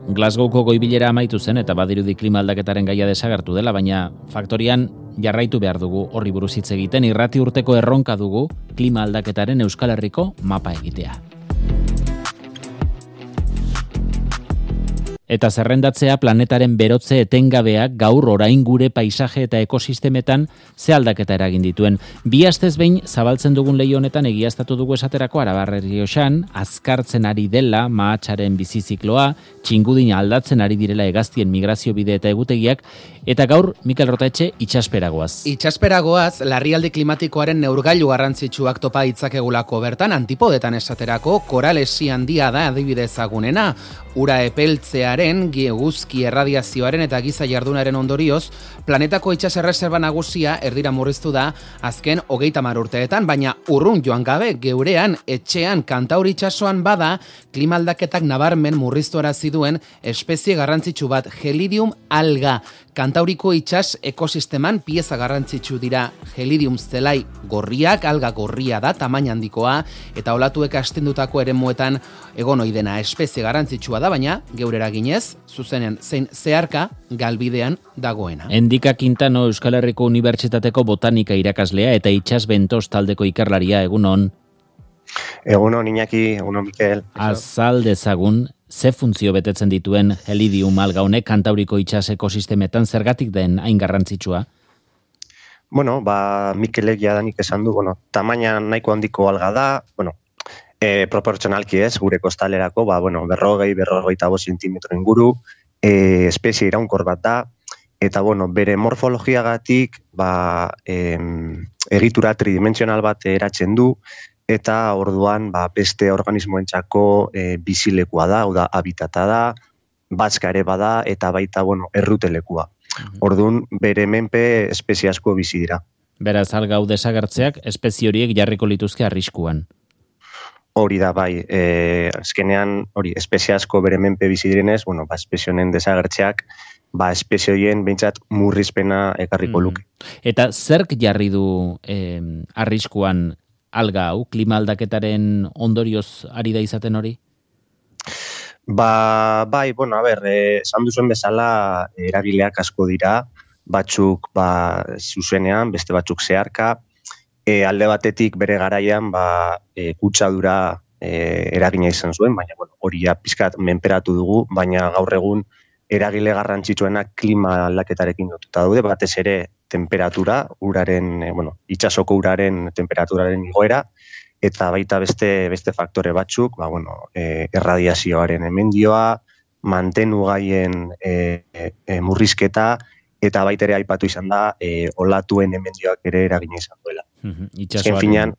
Glasgowko goi-bilera amaitu zen eta badirudi klima aldaketaren gaia desagertu dela, baina faktorian jarraitu behar dugu horri buruz hitz egiten. Irrati urteko erronka dugu klima aldaketaren Euskal Herriko mapa egitea. Eta zerrendatzea planetaren berotze etengabeak gaur orain gure paisaje eta ekosistemetan ze aldaketa eragin dituen. Bi astez behin zabaltzen dugun leiho honetan egiaztatu dugu esaterako Arabar Errioxan, azkartzen ari dela mahatsaren bizizikloa, txingudina aldatzen ari direla hegaztien migrazio bide eta egutegiak, eta gaur Mikel Rotaetxe itxasperagoaz. Itxasperagoaz, larrialdi klimatikoaren neurgailu garrantzitsuak topa ditzakegulako bertan, antipodetan esaterako koralesi handia da adibidez agunena. Ura epeltzearen, eguzki erradiazioaren eta giza jardunaren ondorioz, planetako itxaserreserba nagusia erdira murriztu da azken 30 urteetan, baina urrun joan gabe geurean, etxean, Kantauri itsasoan bada, klima aldaketak nabarmen murriztuarazi duen espezie garrantzitsu bat, Gelidium alga. Kantauriko itsas ekosisteman pieza garrantzitsu dira Gelidium zelai gorriak, alga gorria da, tamaina handikoa, eta olatuek astindutako eremuetan egon ohi dena espezie garrantzitsua da, baina geure eraginez, zuzenen zein zeharka galbidean dagoena. Endika Quintano Euskal Herriko Unibertsitateko botanika irakaslea eta itsas bentos taldeko ikerlaria, egunon. Egunon Iñaki, egunon Mikel. Azal dezagun, ze funtzio betetzen dituen Gelidium alga honek Kantauriko itsas ekosistemetan zergatik den hain garrantzitsua? Bueno, Mikelek jadanik esan du, tamaina nahiko handiko alga da, proportzionalki ez, gure kostalerako, 40-45 zentimetro inguru, espezie iraunkor bat da, eta bere morfologiagatik egitura tridimensional bat eratzen du, eta orduan beste organismoentzako bizilekua da, hau da, habitata da, batzka ere bada, eta baita errutelekua. Orduan, bere menpe espezie asko bizi dira. Beraz, alga hau desagertzeak espezie horiek jarriko lituzke arriskuan. Hori da, azkenean, espezie asko bere menpe bizi direnez, espezie honen desagertzeak, espezie horien behintzat murrizpena ekarriko luke. Eta zerk jarri du arriskuan alga hau, klima aldaketaren ondorioz ari da izaten hori? Esan duzuen bezala eragileak asko dira, batzuk zuzenean, beste batzuk zeharka, alde batetik bere garaian kutsadura eragina izan zuen, baina hori pizkat menperatu dugu, baina gaur egun eragile garrantzitsuenak klima aldaketarekin lotuta daude, batez ere temperatura, itsasoko uraren temperaturaren igoera, eta baita beste faktore batzuk, erradiazioaren emendioa, mantenugaien murrizketa, eta baita ere aipatu izan da, olatuen emendioak ere eragina izan duela. Azken finean,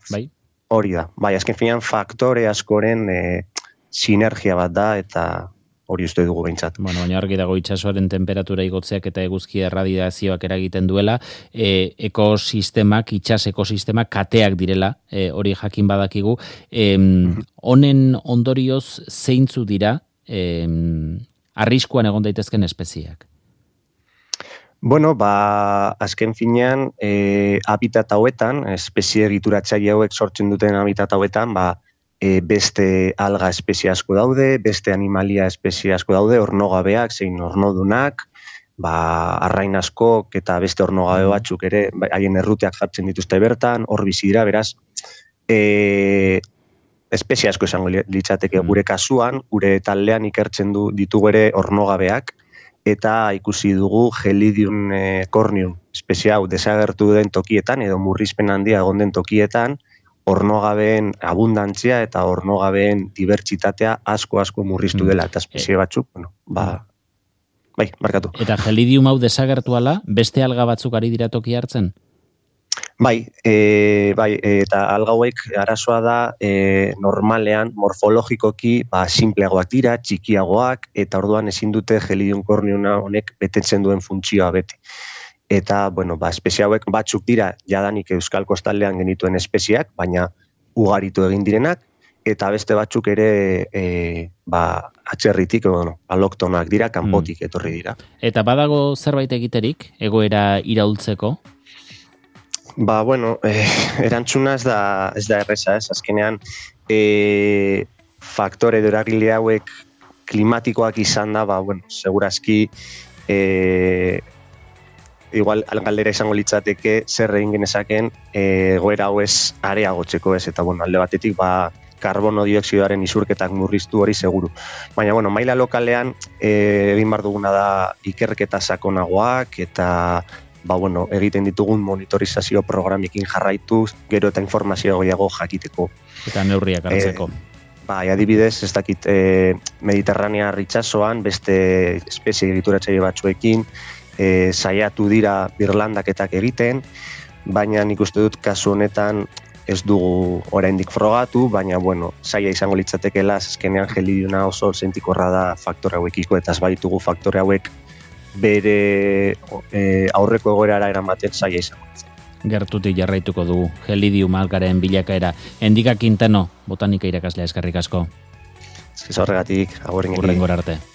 hori da. Azken finean, faktore askoren sinergia bat da, eta hori uste dugu behintzat. Baina argi dago itsasoaren temperatura igotzeak eta eguzki erradiazioak eragiten duela, itsas ekosistemak kateak direla, hori jakin badakigu. Honen ondorioz zeintzu dira arriskuan egon daitezken espezieak? Azken finean, habitat hauetan, espezie egituratzaile hauek sortzen duten habitat hauetan, beste alga espezie asko daude, beste animalia espezie asko daude, ornogabeak, zein ornodunak, arrain askok eta beste ornogabe batzuk ere, haien erruteak jartzen dituzte bertan, hor bizi dira, beraz, espezie asko esango litzateke gure kasuan, gure taldean ikertzen ditugu ere ornogabeak, eta ikusi dugu Gelidium corneum espezie hau desagertu den tokietan, edo murrizpen handia egon den tokietan, ornogabeen abundantzia eta ornogabeen dibertsitatea asko murriztu dela, eta espezie batzuk, markatu. Eta Gelidium hau desagertu ala, beste alga batzuk ari dira toki hartzen? Eta alga hauek arazoa da normalean morfologikoki simpleagoak dira, txikiagoak, eta orduan ezin dute Gelidium corneum honek betetzen duen funtzioa bete. Eta, espezie hauek batzuk dira jadanik Euskal Kostaldean genituen espeziak, baina ugaritu egin direnak, eta beste batzuk ere atzerritik, aloktonak dira, kanpotik etorri dira. Eta badago zerbait egiterik, egoera iraultzeko? Erantzuna ez da erreza, ez? Azkenean, faktore eragile hauek klimatikoak izan da, bueno, segurazki igual galdera izango litzateke zer egin genezaken egoera hau ez areagotzeko ez, eta bueno, alde batetik karbono dioxidoaren isurketak murriztu hori seguru. Baina bueno, maila lokalean egin behar duguna da ikerketa sakonagoak eta bueno, egiten ditugun monitorizazio programekin jarraituz, gero eta informazio gehiago jakiteko. Eta neurriak hartzeko. Adibidez, ez dakit Mediterranea itsasoan beste espezie egituratzaile batzuekin saiatu dira birlandaketak egiten, baina nik uste dut kasu honetan ez dugu oraindik frogatu, baina bueno, saia izango litzatekeela, azkenean gelidiona oso sentikorra da faktore hauekiko, eta ez baditugu faktore hauek bere aurreko egoerara eramaten saia izango litzateke. Gertutik jarraituko dugu gelidium algaren bilakaera. Endika Quintano, botanika irakaslea, eskerrik asko. Ez horregatik, agurrengora arte.